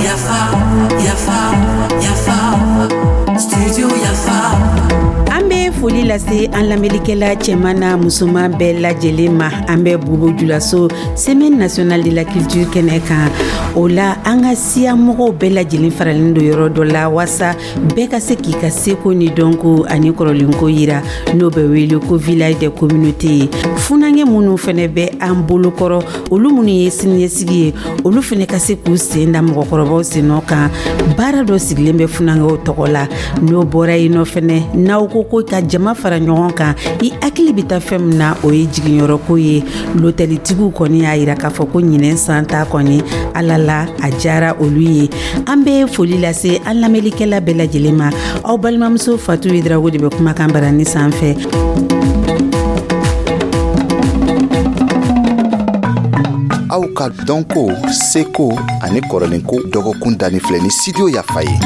Yafa, yafa, yafa, studio Yafa. An bɛ foli lase an lamɛnlikɛla cɛman n'a musoman bɛɛ lajɛlen ma. An bɛ Bobo Julaso, Semaine nationale de la culture kɛnɛ kan. O la, an ka siya mɔgɔw bɛɛ lajɛlen faralen don yɔrɔ dɔ la, waasa bɛɛ ka se k'i ka seko ni dɔnko ani kɔrɔlenko yira, n'o bɛ wele ko Village des communautés ye. Funankɛ minnu fɛnɛ bɛ an bolokɔrɔ, olu minnu ye siniɲɛsigi ye, olu fɛnɛ ka se k'u sen da mɔgɔkɔrɔbaw sennɔ kan. Baara dɔ sigilen bɛ funankɛw tɔgɔ la. N'o bɔra yen nɔ fɛnɛ, n'aw ko ko ka jama fara ɲɔgɔn kan, i hakili bɛ taa fɛn min na, o ye jiginyɔrɔko ye. Lotɛlitigiw kɔni y'a yira k'a fɔ ko ɲinɛn san ta kɔni, ala la a diyara olu ye. An bɛ foli lase an lamɛnlikɛla bɛɛ lajɛlen ma. Aw balimamuso Fatu Yedrago de bɛ kumakan barani sanfɛ. Aw ka dɔnko, seko ani kɔrɔlenko dɔgɔkun danni filɛ ni Studio Yafa ye.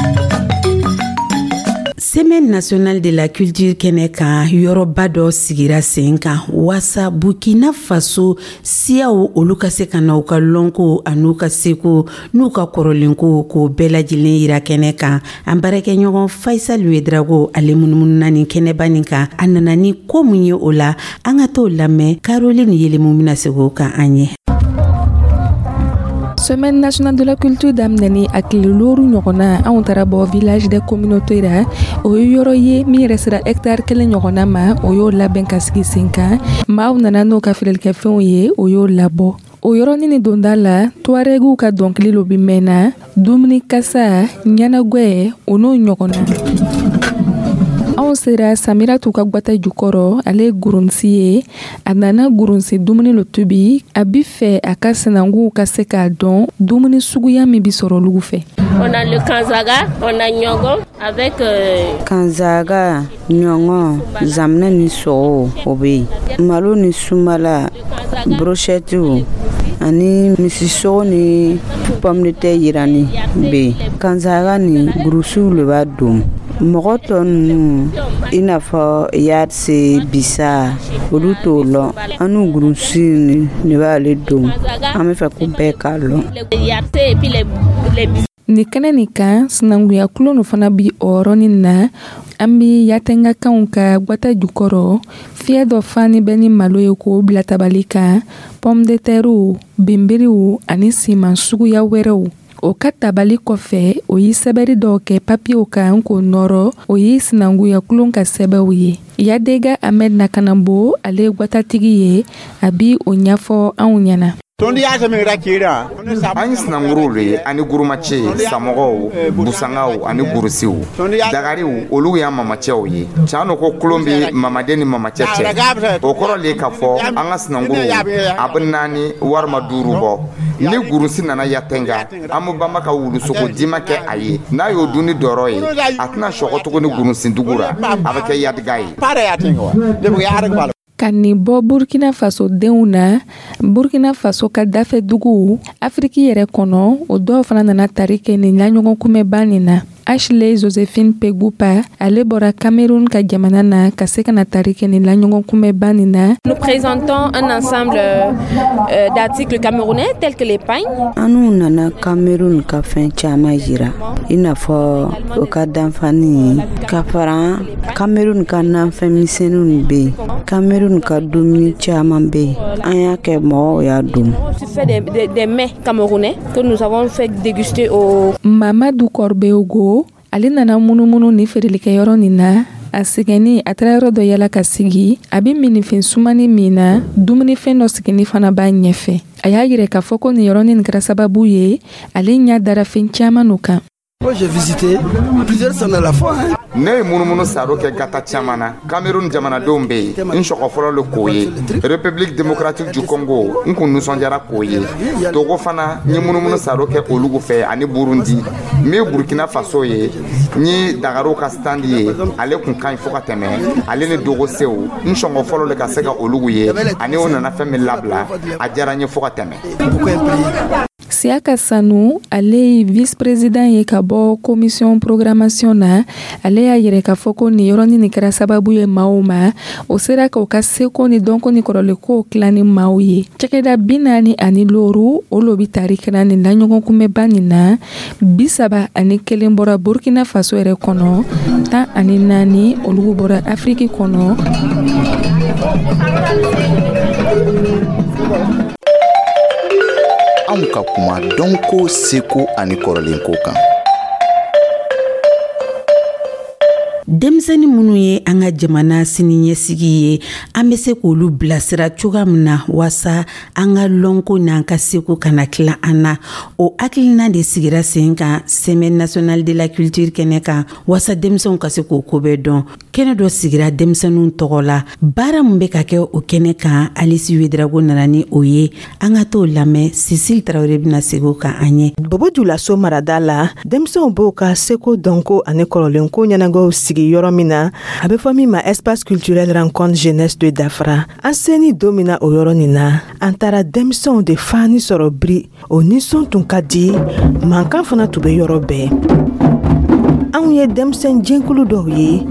Semaine nationale de la culture kɛnɛ kan, yɔrɔba dɔ sigira sen kan waasa Burkina Faso siyaw, olu ka se ka na u ka lɔnko an'u ka seko n'u ka kɔrɔlenko k'o bɛɛ lajɛlen yira kɛnɛ kan. An baarakɛɲɔgɔn Faisal Wedrago, ale munumununa nin kɛnɛba nin kan. A nana ni ko mun ye o la, an ka t'o lamɛn. Caroline Yelemu bɛna segin o kan an ye. Semaine nationale de la culture daminɛni a tile 5 ɲɔgɔnna, anw taara bɔ Village des communautés ra. O ye yɔrɔ ye min yɛrɛ sera hectare 1 ɲɔgɔnna ma. O y'o labɛn ka sigi sen kan. Maaw nana n'o ka feerelikɛfɛnw ye, o y'o labɔ. O yɔrɔnin ni donda la, tuarɛgiw ka dɔnkili lo bi mɛnna, dumuni kasa, ɲɛnagwɛ, o n'o ɲɔgɔnna. Anw sera Samiratu ka gwata jukɔrɔ. Ale ye gurunsi ye. A nana gurunsi dumuni lo tobi. A bi fɛ a ka sinankunw ka se k'a dɔn dumuni suguya min bi sɔrɔ olugu fɛ. On a le kanzaga, on a ɲɔgɔn avec Kanzaga, ɲɔgɔn, zaminɛ ni sogo, o bɛ yen. Malo ni sumala, brochette ani misisogo ni pomme de terre yirani bɛ yen. Kanzaga ni gurusiw le b'a dun. Mɔgɔ tɔ ninnu, i n'a fɔ yarise, bisa, olu t'o lɔn. An n'u gurusi ni b'ale don. An bɛ fɛ ko bɛɛ k'a lɔn. Nin kɛnɛ nin kan, sinankunya kulon fana bi o yɔrɔnin na. An bi Yatɛngakanw ka gwata jukɔrɔ. Fiyɛ dɔ fani bɛ ni malo ye k'o bila tabali kan, pomme de terre, binbiriw ani siman suguya wɛrɛw. O ka tabali kɔfɛ, o ye sɛbɛri dɔw kɛ papiyew kan k'o nɔrɔ. O ye sinankunya kulon ka sɛbɛw ye. Yadega Ahmed Nakanabo, ale ye gwatatigi ye. A bi o ɲɛfɔ anw ɲɛna. An ye sinankuruw le ye ani gurumacɛ, samɔgɔw, busangaw ani gurusiw, dagariw. Olu y'an mamacɛw ye. Can no ko kulon bɛ mamaden ni mamacɛ cɛ. O kɔrɔ le k'a fɔ an ka sinankuruw a bɛ naani walima duuru bɔ. Ni gurusi nana Yatɛnga, an bɛ banba ka wulusogo dima kɛ a ye. N'a y'o dun ni dɔrɔ ye, a tɛna sɔgɔ tuguni gurusindugu ra. A bɛ kɛ yadiga ye. Ka nin bɔ Burkina Faso denw na, Burkina Faso ka dafɛ duguw Afiriki yɛrɛ kɔnɔ, o dɔw fana nana tari kɛ nin laɲɔgɔn kunbɛnba nin na. Ashley Josephine Pegupa, ale bɔra Cameroun ka jamana na ka se ka na tari kɛ nin laɲɔgɔn kunbɛnba nin na. Nous présentons un ensemble d'articles camerounais tels que les pagnes. An n'u nana Cameroun ka fɛn caman jira, i n'a fɔ o ka danfani, ka fara Cameroun ka nafɛn misɛnninw bɛ yen. Cameroun ka dumuni caman bɛ yen. An y'a kɛ, mɔgɔw y'a dun. Fait des mets camerounais que nous avons fait déguster au Mamadu Kɔrɔbeogo, ale nana munumunu ni feerelikɛyɔrɔ nin na. A sɛgɛnni, a taara yɔrɔ dɔ yala ka sigi. A bɛ minifɛn sumani min na, dumunifɛn dɔ sigini fana b'a ɲɛfɛ. A y'a yira k'a fɔ ko nin yɔrɔnin nin kɛra sababu ye ale ɲɛ dara fɛn caman no kan. Moi, j'ai visité plusieurs stands à la fois. Hein. Ne ye munumunu saro kɛ gata caman na. Cameroun jamanadenw bɛ yen, n sɔgɔ fɔlɔ le k'o ye. République démocratique du Congo, n kun nisɔndiyara k'o ye. Togo fana, n ye munumunu saro kɛ olugu fɛ ani Burundi. Min ye Burkina Faso ye, n ye dagariw ka stand ye, ale kun ka ɲi fo ka tɛmɛ. Ale ni dogosew, n sɔngɔ fɔlɔ le ka se ka olugu ye ani o nana fɛn min labila, a diyara n ye fo ka tɛmɛ. Siyaka Sanu, ale ye vice président ye ka bɔ commission programmation na. Ale y'a yɛrɛ k'a fɔ ko nin yɔrɔnin nin kɛra sababu ye maaw ma, o sera k'o ka seko ni dɔnko ni kɔrɔlenkow tila ni maaw ye. Cakɛda 45, o lo bi tari kɛra nin la ɲɔgɔn kunbɛnba nin na. 31 bɔra Burkina Faso yɛrɛ kɔnɔ, 14 olu bɔra Afiriki kɔnɔ. Anw ka kuma dɔnko, seko ani kɔrɔlenko kan. Denmisɛnnin minnu ye an ka jamana siniɲɛsigi ye, an bɛ se k'olu bilasira cogoya min na waasa an ka lɔnko n'an ka seko kana tila an na, o hakilina de sigira sen kan Semaine nationale de la culture kɛnɛ kan, waasa denmisɛnw ka se k'o ko bɛɛ dɔn. Kɛnɛ dɔ sigira denmisɛnninw tɔgɔ la. Baara min bɛ ka kɛ o kɛnɛ kan, Alisi Wedrago nana ni o ye. An ka t'o lamɛn. Cécile Tarawele bɛna segin o kan an ye. Bobo Julaso marada la, denmisɛnw b'o ka seko, dɔnko ani kɔrɔlenko ɲɛnagɛw sigi yɔrɔ min na, a bɛ fɔ min ma Espace culturel Rencontre Jeunesse de Dafra. An seni don min na o yɔrɔ nin na, an taara denmisɛnw de fani sɔrɔ biri. O nisɔn tun ka di, mankan fana tun bɛ yɔrɔ bɛɛ. Anw ye denmisɛn jɛnkulu dɔw ye,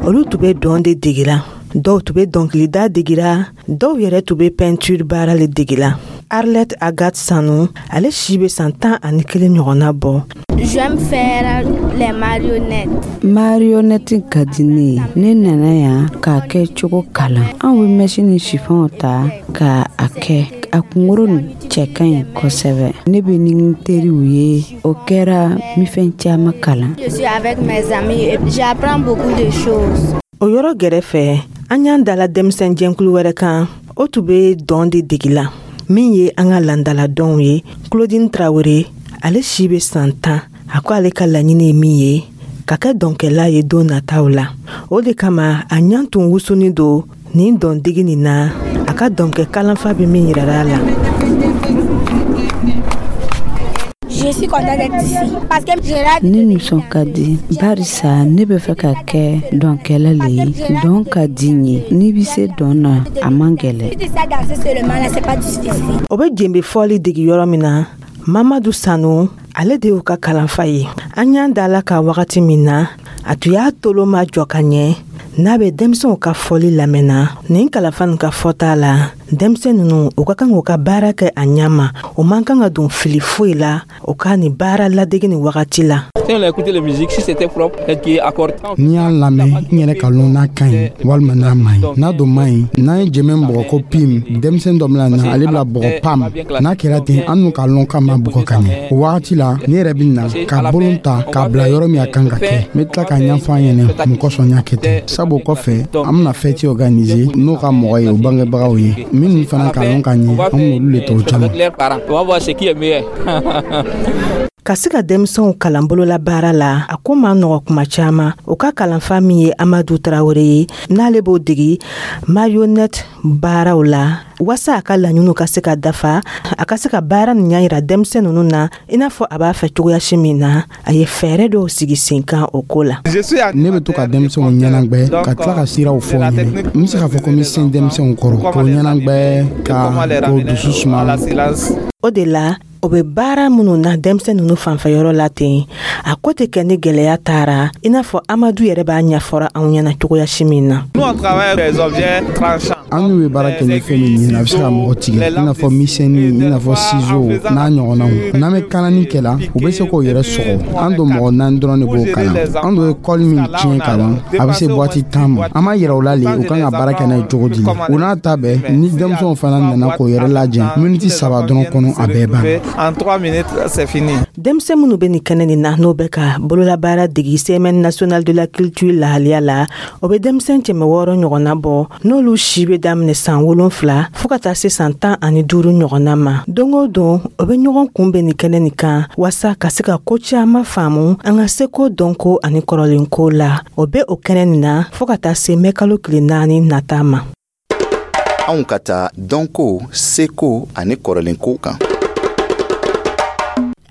olu tun bɛ dɔn de degela, dɔw tun bɛ dɔnkilida degela, dɔw yɛrɛ tun bɛ peinture baara le degela. Arlette Agathe Sanu, ale si bɛ san 11 ɲɔgɔnna bɔ. J'aime faire les marionnettes. Marionnette ka di ne ye. Ne nana yan k'a kɛ cogo kalan. Anw bɛ mɛsi ni sifanw ta ka a kɛ. A kunkoro nin cɛ ka ɲi kosɛbɛ. Ne bɛ ni n teriw ye. O kɛra n fɛn caman kalan. Je suis avec mes amis et j'apprends beaucoup de choses. O yɔrɔ gɛrɛfɛ, an y'an dala denmisɛn jɛnkulu wɛrɛ kan. O tun bɛ dɔn de degi la, min ye an ka landala dɔnw ye. Claudine Traoré, ale si bɛ san 10. A ko ale ka laɲini ye min ye, ka kɛ dɔnkɛla ye don nataw la. O de kama a ɲan tun wusunin don nin dɔndegi nin na, a ka dɔnkɛ kalanfa bɛ min yirara a la. Je suis contente d'être ici parce que j'ai Ne nisɔn ka di barisa ne bɛ fɛ ka kɛ dɔnkɛla le ye. Dɔn ka di n ye. N'i bɛ se dɔn na, a man gɛlɛn. Si tu sais danser seulement là, c'est pas difficile. O bɛ jenbe fɔli degi yɔrɔ min na, Mamadu Sanu, ale de y'u ka kalanfa ye. An y'an da la ka wagati min na, a tun y'a tolo ma jɔ ka ɲɛ n'a bɛ denmisɛnw ka fɔli lamɛnna. Nin kalanfa nin ka fɔta la, denmisɛn ninnu, u ka kan k'u ka baara kɛ a ɲɛ ma. O man kan ka don fili foyi la o ka nin baara ladege nin wagati la. N'i y'a lamɛn, n yɛrɛ ka lɔn n'a ka ɲi walima n'a man ɲi. N'a don man ɲi, n'an ye jɛmɛ bɔgɔ ko pim, denmisɛn dɔ bɛna na, ale bɛna bɔgɔ pam. N'a kɛra ten, an n'u ka lɔn k'a ma bɔgɔ ka ɲɛ. O wagati la, ne yɛrɛ bɛ na ka bolon ta k'a bila yɔrɔ min a kan ka kɛ. N bɛ tila k'a ɲɛfɔ an ɲɛna mun kosɔn n y'a kɛ ten. Sabu o kɔfɛ, an bɛna fɛti organiser n'o ka mɔgɔ ye, o bangebagaw ye minnu fana ka lɔn ka ɲɛ, an bɛn'olu le tɔw caman. Ka se ka denmisɛnw kalan bolola baara la, a ko ma nɔgɔ kuma caman. O ka kalanfa min ye Amadu Tarawele ye, n'ale b'o degi marionnette baaraw la, waasa a ka laɲiniw ka se ka dafa, a ka se ka baara nin ɲɛ yira denmisɛn ninnu na i n'a fɔ a b'a fɛ cogoyasi min na. A ye fɛɛrɛ dɔw sigi sen kan o ko la. Ne bɛ to ka denmisɛnw ɲɛnagwɛ ka tila ka siraw fɔ n ɲɛnɛ. N bɛ se k'a fɔ ko n bɛ se denmisɛnw kɔrɔ k'o ɲɛnagwɛ ka k'o dusu suma. O de la, o bɛ baara minnu na denmisɛn ninnu fanfɛyɔrɔ la ten, a ko tɛ kɛ ni gɛlɛya taara, i n'a fɔ Amadu yɛrɛ b'a ɲɛfɔra anw ɲɛna cogoyasi min na. An n'u bɛ baara kɛ ni fɛn min ye, a bɛ se ka mɔgɔ tigɛ, i n'a fɔ misɛnnin, i n'a fɔ ciseau n'a ɲɔgɔnnaw. N'an bɛ kalani kɛ la, u bɛ se k'o yɛrɛ sɔgɔ. An don mɔgɔ 4 dɔrɔn de b'o kalan. An don ye kɔli min tiɲɛ ka ban, a bɛ se boîte 10 ma. An b'a yira u la le, u kan ka baara kɛ n'a ye cogo di. O n'a ta bɛɛ, ni denmisɛnw fana nana k'o yɛrɛ lajɛ, miniti 3 dɔrɔn kɔnɔ, a bɛɛ ban. En 3 minutes, c'est fini. Denmisɛn minnu bɛ nin kɛnɛ nin na, n'o bɛ ka bololabaara degi Semaine nationale de la culture lahaliya la, o bɛ denmisɛn 600 ɲɔgɔnna bɔ, n'olu si bɛ daminɛ san 7 fo ka taa se san 15 ɲɔgɔnna ma. Don o don, o bɛ ɲɔgɔn kunbɛn nin kɛnɛ nin kan waasa ka se ka ko caman faamu an ka seko, dɔnko ani kɔrɔlenko la. O bɛ o kɛnɛ nin na fo ka taa se mɛkalo tile 4 nata ma. Anw ka taa dɔnko, seko ani kɔrɔlenko kan.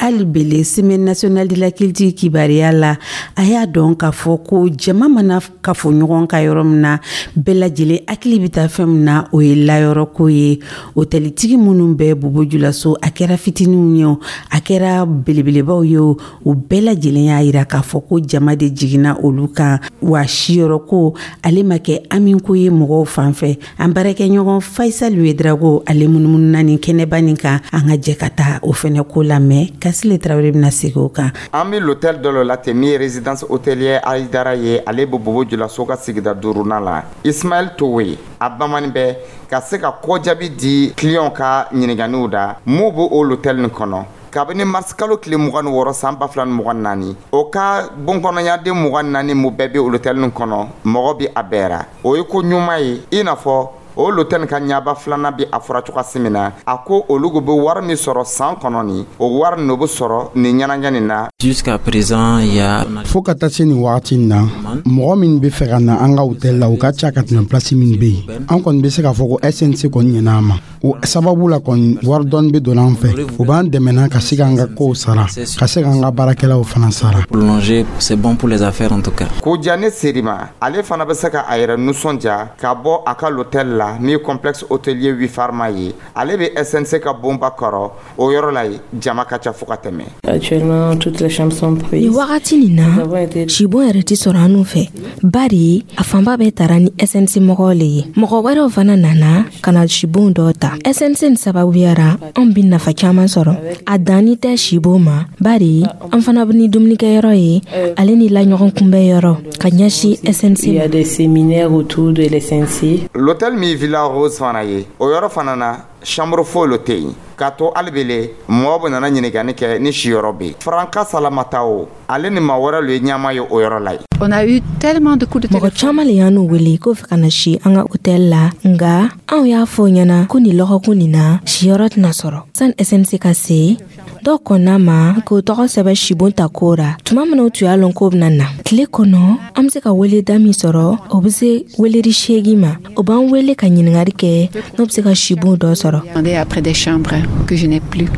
Hali bele, Semaine nationale de la culture kibaruya la, a y'a dɔn k'a fɔ ko jama mana kafo ɲɔgɔn ka yɔrɔ min na, bɛɛ lajɛlen hakili bɛ taa fɛn min na, o ye layɔrɔko ye. Otɛlitigi minnu bɛ Bobo Julaso, a kɛra fitininw ye o, a kɛra belebelebaw ye o, o bɛɛ lajɛlen y'a yira k'a fɔ ko jama de jiginna olu kan, wa siyɔrɔko ale ma kɛ amiko ye mɔgɔw fan fɛ. An baarakɛɲɔgɔn Faisal Ouédraogo, ale munumununa nin kɛnɛba nin kan. An ka jɛ ka taa o fɛnɛ ko lamɛn. Kasile Tarawele bɛna segin o kan. An bɛ l'hôtel dɔ la ten min ye Résidence hôtelière Ayidara ye. Ale bɛ Bobo Julaso ka sigida duurunan la. Ismaël Towe, a bamani bɛ ka se ka kɔjaabi di client ka ɲininkaniw da mun b'o o l'hôtel nin kɔnɔ kabini mars kalo tile 26 san 2024. O ka bonkɔnɔyaden 24 mu bɛɛ bɛ l'hôtel nin kɔnɔ, mɔgɔ bi a bɛɛ o ye ko ɲuman ye. I n'a fɔ o l'hôtel ka ɲaba filanan bi a fɔra cogoya min na, a ko olu bɛ wari min sɔrɔ san kɔnɔ, nin o wari nin bɛ sɔrɔ nin ɲɛnajɛ nin na. Jusqu'à présent, il y a Fo ka taa se nin wagati in na, mɔgɔ min bɛ fɛ ka na an ka hôtel la, o ka ca ka tɛmɛ place min bɛ yen. An kɔni bɛ se k'a fɔ ko SNC kɔni ɲɛna an ma. O sababu la kɔni, wari dɔɔni bɛ don an fɛ, o b'an dɛmɛ ka se k'an ka kow sara, ka se k'an ka baarakɛlaw fana sara. Prolonger, c'est bon pour les affaires en tout cas. Kojani Serima, ale fana bɛ se ka a yɛrɛ nisɔndiya ka bɔ a ka l'hôtel la min ye Complexe hôtelier Wifarma ye. Ale bɛ SNC ka bonba kɔrɔ. O yɔrɔ la yen, jama ka ca fo ka tɛmɛ. Actuellement, toutes les chambres sont prises. Nin wagati nin na, sibon yɛrɛ tɛ sɔrɔ anw fɛ, bari a fanba bɛɛ tara ni SNC mɔgɔw le ye. Mɔgɔ wɛrɛw fana nana ka na sibon dɔw ta. SNC nin sababuyara, anw bi nafa caman sɔrɔ. A danni tɛ sibon ma, bari an fana bɛ ni dumunikɛyɔrɔ ye, ale ni laɲɔgɔn kunbɛyɔrɔ ka ɲɛsin SNC. Il y a des séminaires autour de l'SNC. L'hôtel min Villa Rose fana ye, o yɔrɔ fana na, chambre foyi lo tɛ yen k'a to alibele mɔgɔ bɛ nana ɲininkali kɛ ni siyɔrɔ bɛ yen. Faranka Salamata, o ale ni maa wɛrɛ lo ye ɲɛma ye o yɔrɔ la yen. On a eu tellement de coups de Mɔgɔ caman le y'an n'u wele k'o fɛ ka na si an ka hôtel la, nga anw y'a fɔ ɲɛna ko nin lɔgɔkun nin na, siyɔrɔ tɛna sɔrɔ. Sani SNC ka se, dɔw kɔnna ma k'o tɔgɔ sɛbɛ sibon ta ko ra. Tuma min na o tun y'a lɔn k'o bɛna na, tile kɔnɔ an be se ka weleda min sɔrɔ, o be se weleri 8 ma. O b'an wele ka ɲiningari kɛ n'o be se ka sibon dɔ sɔrɔ. Après des chambres que je n'ai plus.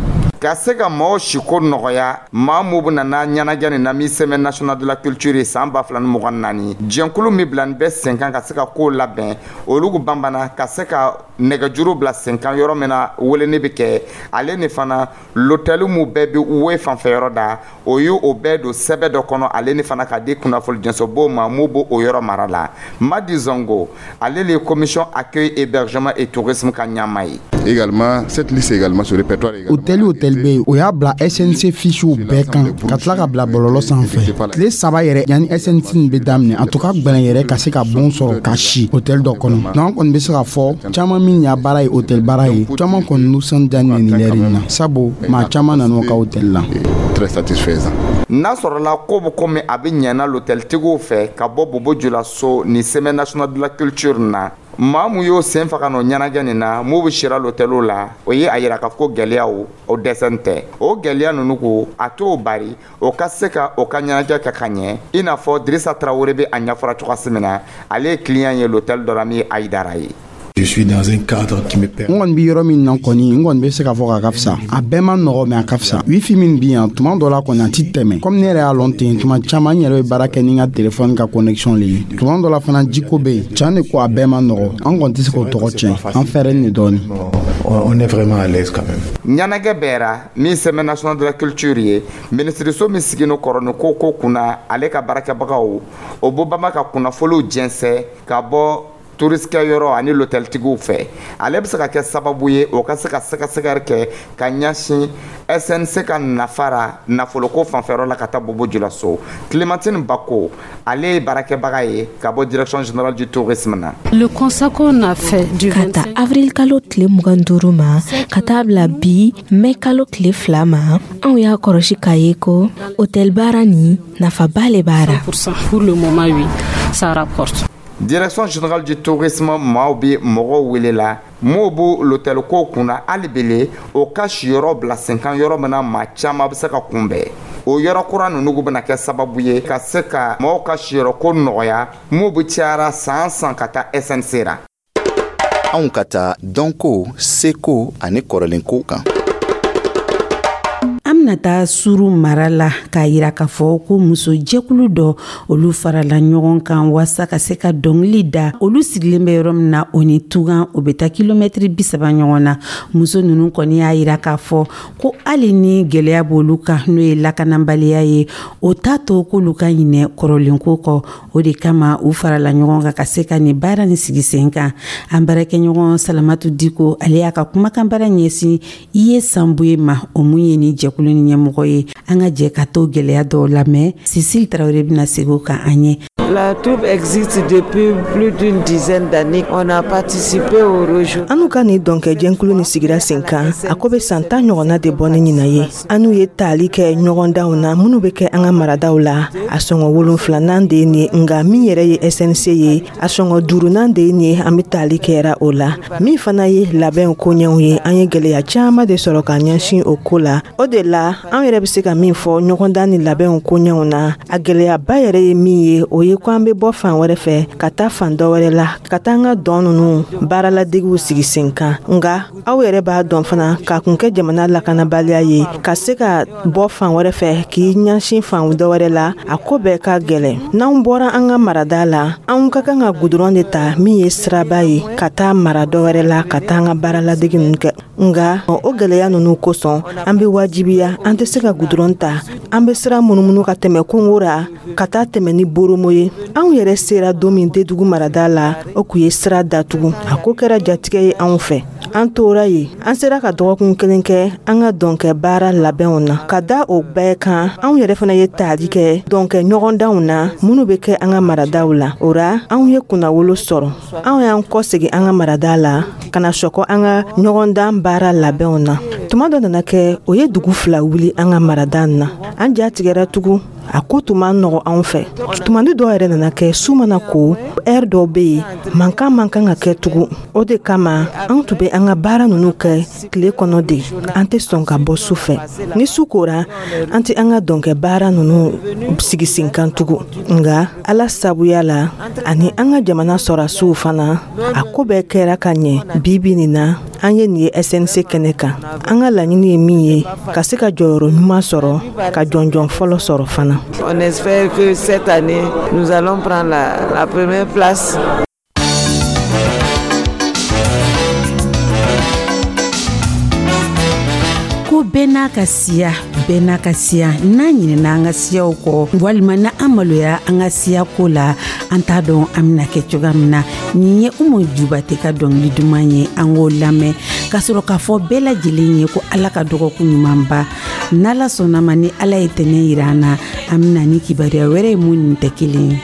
Ka se ka maaw siko nɔgɔya, maa mu bɛ nana ɲɛnajɛ nin na min Semaine nationale de la culture ye san 2024, jɛnkulu min bila nin bɛ sen kan ka se ka kow labɛn, olu banbana ka se ka nɛgɛjuru bila sen kan yɔrɔ min na weleni bɛ kɛ. Ale ni fana l'hôtel mu bɛɛ bɛ we fanfɛ yɔrɔ da, o ye o bɛɛ don sɛbɛn dɔ kɔnɔ, ale ni fana ka di kunnafoni jɛnsɛnbo ma mun b'o o yɔrɔ mara la. Madi Zongo, ale le ye commission accueil, hébergement et tourisme ka ɲɛmaa ye. Également, cette liste également, ce répertoire également. Hôtel o hôtel bɛ yen, o y'a bila SNC fichiw bɛɛ kan ka tila ka bila bɔlɔlɔ sanfɛ tile 3 yɛrɛ yanni SNC nin bɛ daminɛ. En tout cas, gbɛlɛn yɛrɛ ka se ka bon sɔrɔ ka si hôtel dɔ kɔnɔ. Donc an kɔni bɛ se k'a fɔ caman min y'a baara ye, hôtel baara ye, caman kɔni nisɔndiya nin lɛri in na, sabu maa caman nan'u ka hôtel la. Très satisfaisant. N'a sɔrɔla ko bɛ komi a bɛ ɲɛna l'hôteltigiw fɛ ka bɔ Bobo Julaso ni Semaine nationale de la culture na, maa mun y'o sen fa ka n'o ɲɛnajɛ nin na, mun bɛ sira l'hôteliw la, o ye a yira k'a fɔ ko gɛlɛyaw o dɛsɛ tɛ. O gɛlɛya ninnu ko a t'o bari o ka se ka o ka ɲɛnajɛ kɛ ka ɲɛ. I n'a fɔ Dirisa Tarawele bɛ a ɲɛfɔra cogoya min na, ale ye client ye l'hôtel dɔ la min ye Ayidara ye. Je suis dans un cadre qui me permet. N kɔni bɛ yɔrɔ min na kɔni, n kɔni bɛ se k'a fɔ k'a ka fisa. A bɛɛ ma nɔgɔ, mais a ka fisa. Wifi min bi yan, tuma dɔ la kɔni a ti tɛmɛ. Komi ne yɛrɛ y'a lɔn ten, tuma caman n yɛrɛ bɛ baara kɛ ni n ka telefɔni ka connexion le ye. Tuma dɔ la fana, jiko bɛ yen. Can de ko a bɛɛ ma nɔgɔ, an kɔni tɛ se k'o tɔgɔ tiɲɛ, an fɛrɛlen de dɔɔni. On est vraiment à l'aise quand même. Ɲɛnajɛ bɛɛra min Semaine nationale de la culture ye, minisiriso min sigino kɔrɔ ni ko ko kunna, ale ka baarakɛbagaw o bɔ bama ka kunnafoniw jɛnsɛn ka bɔ touristikɛ yɔrɔ ani l'hôteltigiw fɛ. Ale bɛ se ka kɛ sababu ye o ka se ka sɛgɛsɛgɛli kɛ ka ɲɛsin SNC ka nafara nafoloko fanfɛyɔrɔ la ka taa Bobo Julaso. Clémentine Bako, ale ye baarakɛbaga ye ka bɔ Direction générale du tourisme na. Le constat qu'on a fait du Ka ta avril kalo tile 25 ma ka taa bila bi mɛ kalo tile 2 ma, anw y'a kɔrɔsi k'a ye ko hôtel baara nin, nafaba le b'a ra. Pour le moment, oui, ça rapporte. Direction générale du tourisme maaw bɛ mɔgɔw wele la m'o b'o l'hôtel ko kunna hali bele o ka siyɔrɔ bila sen kan yɔrɔ min na maa caman bɛ se ka kunbɛn. O yɔrɔ kura ninnu bɛna kɛ sababu ye ka se ka maaw ka siyɔrɔ ko nɔgɔya m'u bɛ cayara san san ka taa SNC ra. Anw ka taa dɔnko, seko ani kɔrɔlenko kan. An. An bena taa Suru mara la k'a yira k'a fɔ ko muso jɛkulu dɔ, olu farala ɲɔgɔn kan waasa ka se ka dɔngili da. Olu sigilen bɛ yɔrɔ min na, o ni Tugan, o bɛ taa kilomɛtiri 30 ɲɔgɔn na. Muso nunu kɔni y'a yira k'a fɔ ko hali ni gwɛlɛya b'olu kan, n'o ye lakanabaliya ye, o t'a to k'olu ka ɲinɛ kɔrɔlenko kɔ. O de kama u farala ɲɔgɔn kan ka se ka nin baara nin sigi sen kan. An baarakɛɲɔgɔn Salamatu Diko, ale y'a ka kumakan baara ɲɛsin i ye Sanbuye ma, o mun ye ni jɛkulu ni ɲɛmɔgɔ ye. An ka jɛ ka to gwɛlɛya dɔw lamɛn. Sisili Tarawele bɛna segin o kan an ye. La troupe existe depuis plus d'une dizaine d'années. On a participé au région. Anu ka nin dɔnkɛjɛnkulu ni sigira sen kan, a ko bɛ san 10 ɲɔgɔnna de bɔ ni ɲinan ye. Anu ye taali kɛ ɲɔgɔndanw na minnu bɛ kɛ an ka maradaw la. A sɔngɔ wolonfilanan de ye nin ye, nka min yɛrɛ ye SNC ye, a sɔngɔ duurunan de ye nin ye, an bɛ taali kɛra o la. Min fana ye labɛnw koɲɛw ye, an ye gɛlɛya caman de sɔrɔ ka ɲɛsin o ko la. O de la, an yɛrɛ bɛ se ka min fɔ ɲɔgɔndan ni labɛnw koɲɛw na, a gɛlɛyaba yɛrɛ ye min ye, o ye ko an bɛ bɔ fan wɛrɛ fɛ ka taa fan dɔ wɛrɛ la ka taa an ka dɔn ninnu baaraladegiw sigi sen kan. Nka aw yɛrɛ b'a dɔn fana, k'a kun kɛ jamana lakanabaliya ye, ka se ka bɔ fan wɛrɛ fɛ k'i ɲɛsin fan dɔ wɛrɛ la, a ko bɛɛ ka gɛlɛn. N'anw bɔra an ka marada la, anw ka kan ka gudɔrɔn de ta min ye siraba ye ka taa mara dɔ wɛrɛ la ka taa an ka baaraladegi ninnu kɛ. Nka o gɛlɛya ninnu kosɔn, an bɛ wajibiya, an tɛ se ka gudɔrɔn ta, an bɛ sira munumunu ka tɛmɛ kungo ra ka taa tɛmɛ ni boromo ye. Anw yɛrɛ sera don min Dedugu marada la, o kun ye sira datugu. A ko kɛra jatigɛ ye anw fɛ. An tora yen, an sera ka dɔgɔkun kelen kɛ an ka dɔnkɛ baara labɛnw na. Ka da o bɛɛ kan, anw yɛrɛ fana ye taali kɛ dɔnkɛ ɲɔgɔndanw na minnu bɛ kɛ an ka maradaw la. O ra, anw ye kunnawolo sɔrɔ. Anw y'an kɔsegin an ka marada la ka na sɔkɔ an ka ɲɔgɔndan baara labɛnw na. Tuma dɔ nana kɛ, o ye dugu fila wuli an ka marada na. An ja tigɛra tugun, a ko tun man nɔgɔ anw fɛ. Tumani dɔw yɛrɛ nana kɛ, su mana ko, ɛri dɔw bɛ yen, mankan man kan ka kɛ tugun. O de kama anw tun bɛ an ka baara ninnu kɛ tile kɔnɔ de, an tɛ sɔn ka bɔ su fɛ. Ni su kora, an tɛ an ka dɔnkɛ baara ninnu sigi sen kan tugun. Nka Ala sabuya la ani an ka jamana sɔrɔdasiw fana, a ko bɛɛ kɛra ka ɲɛ. Bi bi nin na, an ye nin ye SNC kɛnɛ kan. An ka laɲini ye min ye, ka se ka jɔyɔrɔ ɲuman sɔrɔ, ka jɔnjɔn fɔlɔ sɔrɔ fana. On espère que cette année, nous allons prendre la première place. Ko bɛɛ n'a ka siya, bɛɛ n'a ka siya. N'an ɲinɛna an ka siyaw kɔ walima na an maloya an ka siya ko la, an t'a dɔn an bɛna kɛ cogoya min na. Nin ye Umu Jubate ka dɔnkili duman ye, an k'o lamɛn ka sɔrɔ k'a fɔ bɛɛ lajɛlen ye ko Ala ka dɔgɔkun ɲumanba. N'Ala sɔnna ma, ni Ala ye tɛnɛ yira an na, an bɛna ni kibaruya wɛrɛ ye mun nin tɛ kelen ye.